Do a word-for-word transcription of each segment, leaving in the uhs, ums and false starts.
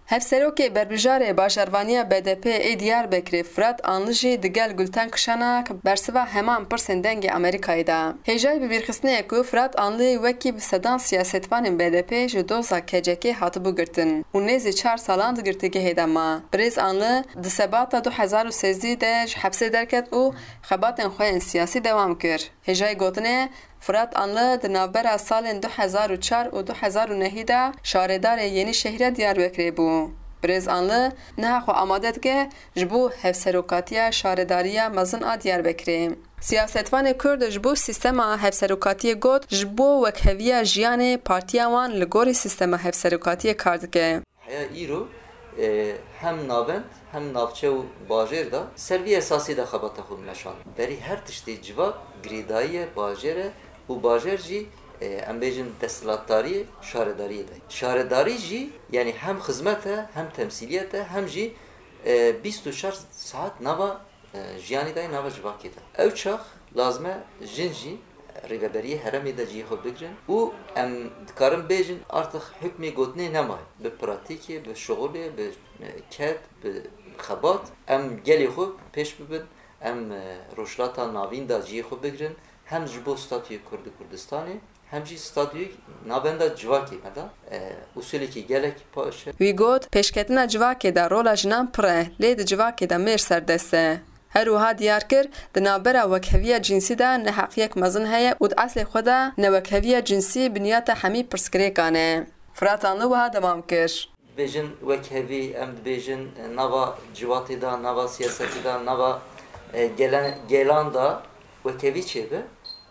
Hevserokê Berbijarê Bajarvaniya B D P ê Diyarbekirê Firat Anlı jî digel Gulten Kişanak bersiva heman pirsên dengê Amerîkayê da. Hêjayî bibîrxistinê ye ku Firat Anlı wekî bi sedan siyasetvanên B D P ji doza K C K hatibû girtin û nêzî çar salan di girtîgehê de ma. Birêz Anlı di sebata du hezar û sêzdî de ji hepsê derket û xebatên xwe yên siyasî dewam kir. Hêjayî gotinê, Firat Anlı di navbera salên du hezar û çar û du hezar û nehî de şaredarê Yenîşehîra Diyarbekirê bû. Birêz Anlı niha xwe amade dike ji bo hevserokatiya şaredariya mezin a Diyarbekirê. Siyasetvanê Kurd ji bo sîstema hevserokatiyê got, ji bo wekheviya jiyanê partiya wan li gorî sîstema hevserokatiyê kar dike. Heya îro, e, hem navend, hem navçe û bajêr de ser vî esasî de xebata xwe meşand. Berî her tiştê civak girêdayî ye bajêr e û bajêr jî, e, em bêjin desthilatdariyê, şaredariyê de. Şaredarî jî, yanî hem xizmet e, hem temsîliyet e, hem jî, e, bîst û çar saet nava e, jiyanê de, nava civakê de. Ew çax lazim e jin jî rêveberiyê herêmê de cihê xwe bigirin û em dikarin bêjin, artık hukmê gotinê nemaye. Bi pratîkê, bi şixulê, bi, e, ked, bi xebat em gelê xwe pêş bibin, em, e, Rojhilata Navîn de cihê xwe bigirin, hem ji bo statuyê Kurd û Kurdistanê, hem jî statuyê navenda civakê me de, e, usulekî gelek baş e. Wî got, pêşketina civakê de rola jinan pir e, lê di civakê de mêr serdest e. Her wiha diyar kir, di navbera wekheviya cinsî de neheqiyek mezin heye û di eslê xwe de newekheviya cinsî binyata hemî pirsgirêkan e. Firat Anlı wiha dewam kir. Dibêjin wekhevî, em dibêjin, e, nava civatê de, nava siyasetê de, nava, e, gelen, gelan de wekhevî çêbe.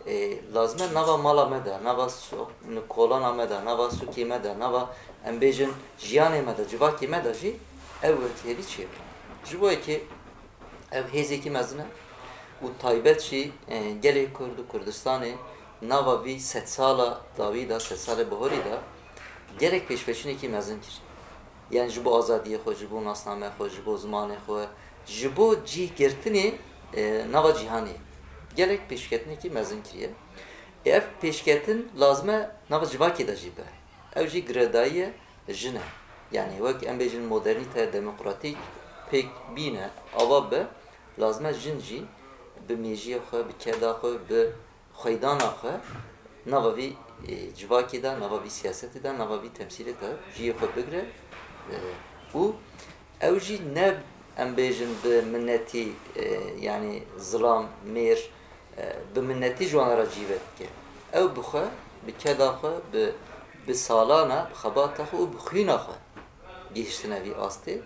E, lazim e nava mala me de, nava so-, kolana me de, nava sûkê me de, nava, em bêjin, jiyanê me de, civakê me de jî ew wekhevî çêbe. Ji bo yekê ev hêzekî mezin e û taybet jî, e, gelê Kurd û Kurdistanê nava vî sedsala dawî de, sedsalê bihorî de gelek pêşveçûnekî mezin kir. Yani ji bo azadiyê xwe, ji bo nasname xwe, ji bo zimanê xwe, ji bo cîhgirtinê, e, nava cîhanê gelek pêşketinekî mezin kiriye. Ê ev pêşketin lazim e nava civakê de jî be. Ew jî girêdayî ye jin e. Yani wek em bêjin modernîte demokratîk pêk bîne, ava be, lazim e jin jî bi mêjiyê xwe, bi keda xwe, bi xweydana xwe nava vî, e, civakê de, nava vî siyasetê de, nava vî temsîlê de cihê xwe bigire, e, û ew jî ne, em bêjin, bi minetî, e, yanî zilam, mêr, e, bi minetî ji wan re cî vedike. Ew bi xwe, bi keda xwe, bi, bi salana, bi xebata xwe û bi xwîna xwe gihiştine vî astê.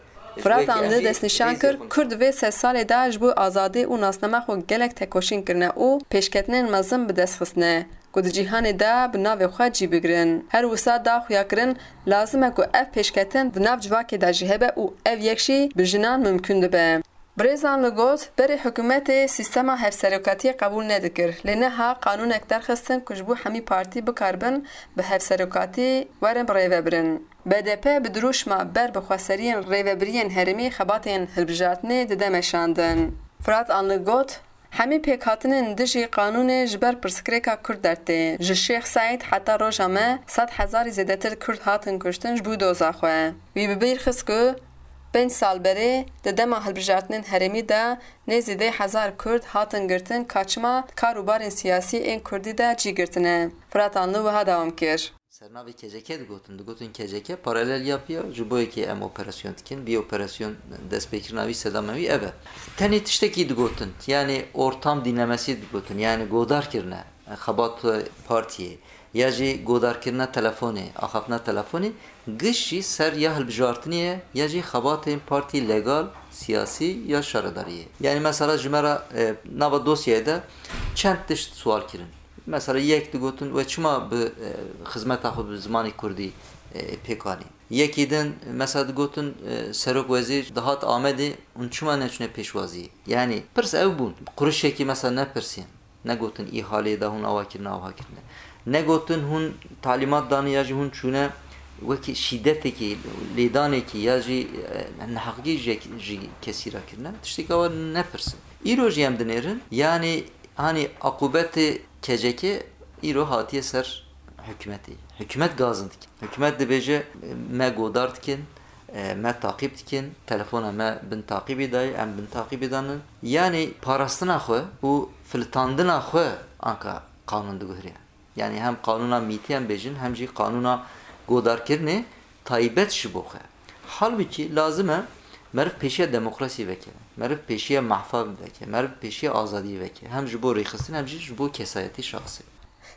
Firat Anlı destnîşan kir, Kurd vê sed salê de ji bo azadî û nasnama xwe gelek tekoşîn kirine û pêşketinên mezin bi dest xistine, ku di cîhanê de bi navê xwe cî bigirin. Her wisa da xuyakirin, lazim e ku ev pêşketin di nav civakê de jî hebe û ev yek jî bi jinan mimkun dibe. Birêz Anlı got, berê hikûmetê sîstema hevserokatiyê qebûl nedikir, lê niha qanûnek derxistin ku ji bo hemî partî bikaribin bi hevserokatî werin birêvebirin. B D P bi dirûşma ber bi xweseriyên rêvebiriyên herêmî xebatên hilbijartinê dide meşandin. Firat Anlı got, hemî pêkhatinên dijî qanûnê ji ber pirsgirêka Kurd dertê. Ji Şêx Seîd heta roja me sed hezarî zêdetir Kurd hatin kuştin ji bo doza xwe. Wî bi bîr xist ku pênc sal berê di dema hilbijartinên herêmî de nêzî deh hezar Kurd hatin girtin, ka çima di kar û barên siyasî ên Kurdî de cî girtine. Firat Anlı wiha dewam kir. Sernavê K C K digotin, digotin K C K paralel yapıyor, ji bo yekê em operasyon dikin, bir operasyon destpêkirina wî, sedama wî ev e. Tenê tiştekî digotin, yani ortam dinlemesi digotin, yani godar kirine, xebat partiyê, ya jî godarkirina telefonê, axaftina telefonê, giş jî ser ya hilbijartinê ye, ya jî xebatên partî legal, siyasî ya şaredariyê. Yani mesela ji me re, e, nava dosyayê de çend tişt sual kirin. Mesela yek digotin, we çima bi, e, xizmeta xwe bi zimanê kurdî, e, pêk anî? Yekî din mesela digotin, e, serok wezîr dihat Amedê, hûn çima neçûne pêşwaziyê? Yani pirs ew bûn. Qurişekî mesela nepirsîn. Negotin îhalê de hûn awa kirine, awa kirine. Negotin hûn talîmat dane ya jî hûn çûne wekî şîdetekî, lêdanekî ya jî, e, neheqî ji, ji kesî re kirine. Tişteka wa nepirsin. Îro jî em dinêrin, yanî hanî aqûbetê K C K îro hatiye ser hikûmetê. Hikûmet gazin dike. Hikûmet dibêje, me godar dikin, E, me taqîb dikin, telefona me bin taqîbî dayê, em bin taqîbî danin. Yanî parastina xwe û filitandina xwe anka qanûn diguheriye. Yanî hem qanûna mîtî em bêjin, hem jî qanûna godarkirinê taybet ji bo xwe. Halbûkî lazim e meriv pêşiya demokrasî veke, meriv pêşiya mafan veke, meriv pêşiya azadiyê veke. Hem ji bo rêxistin, hem jî ji bo kesayetî şexsî.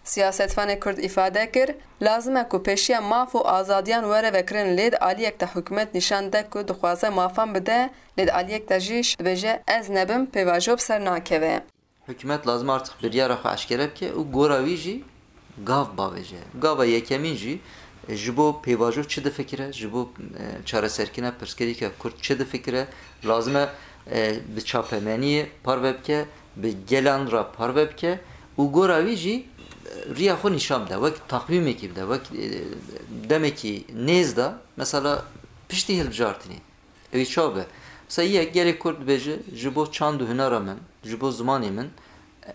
Siyasetvanê Kurd îfade kir, lazim e ku pêşiya maf û azadiyan were vekirin, lê di aliyek de hikûmet nîşan de ku dixwaze mafan bide, lê di aliyek de jî dibêje, ez nebim, pêvajo bi ser nakeve. Hikûmet lazim e artık biryara xwe eşkere bike û gora wî jî gav bavêje. Gava yekemîn jî ji bo pêvajo çi difikire, ji bo, e, çareserkirina pirsgirêka Kurd çi difikire, lazim e, e, bi çapemeniyê parve bike, bi gelan re parve bike û gora wî jî, e, riya xwe nîşan bide, wek taqwîmekî bide, wek, e, demekî nêz de, mesela piştî hilbijartinê. Ew ê çawa be? Mesela yek gelê Kurd dibêje, ji bo çand û hunera min, ji bo zimanê min,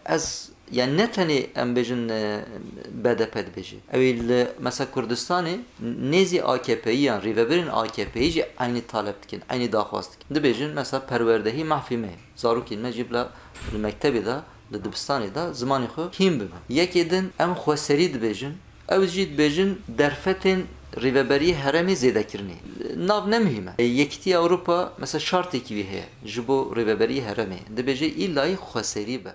ez, yani ne tenê em bêjin, e, B D P dibêje. Ew ê li, mesela Kurdistanê nêzî A K P'yî yan rêvebirên A K P'yî jî eynî talep dikin, eynî daxwaz dikin. Dibêjin mesela perwerdehî mafê me ye. Zarokên me jî bila li mektebê de, li dibistanê de zimanê xwe hîn bibin. Yekê din em xweserî dibêjin. Ew jî dibêjin derfetên rêveberiyê herêmê zêdekirinê. Nav ne muhîm e. Yekîtiya Ewropa mesela şartekî wî heye ji bo rêveberiyê herêmê. Dibêje îlayî xweserî be.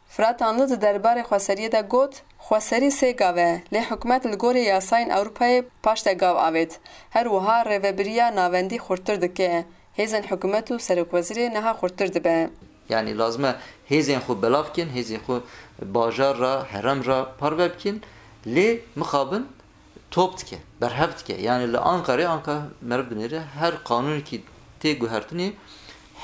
Fırat Anlı di derbarê xweseriyê de got, xweserî sê gav e, lê hikûmet li gorî yasayên Ewropayê paş de gav avêt. Her wiha rêvebiriya navendî xurttir dike. Hêzên hikûmet û serokwezîrê niha xurttir dibe. Yanî lazim e hêzên xwe belav bikin, hêzên xwe bajar re, herem re parve bikin, lê mixabin top dike, berhev dike. Yanî li Ankarê, Anka meriv binêre, her qanûnekî tê guhertinê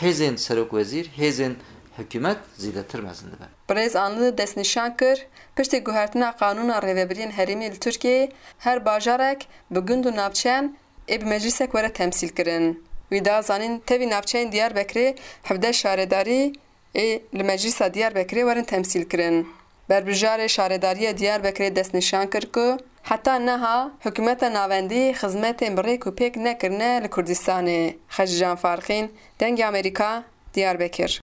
hêzên serokwezîr, hêzên hikûmet zêdetir mezin dibe. Birêz Anlı destnîşan kir, piştî guhertina qanûna rêvebiriyên herêmî li Tirkiyeyê, her bajarek bi gund û navçeyan ê bi meclîsek were temsîl kirin. Wî da zanîn tevî navçeyên Diyarbekirê hevdeh şaredarî ê li Meclîsa Diyarbekirê werin temsîl kirin. Berbijêrê Şaredariya Diyarbekirê destnîşan kir ku heta niha hikûmeta navendî xizmetên bi rêk û pêk nekirine li Kurdistanê. Xecîcan Farqîn, Dengê Amerîka, Diyarbekir.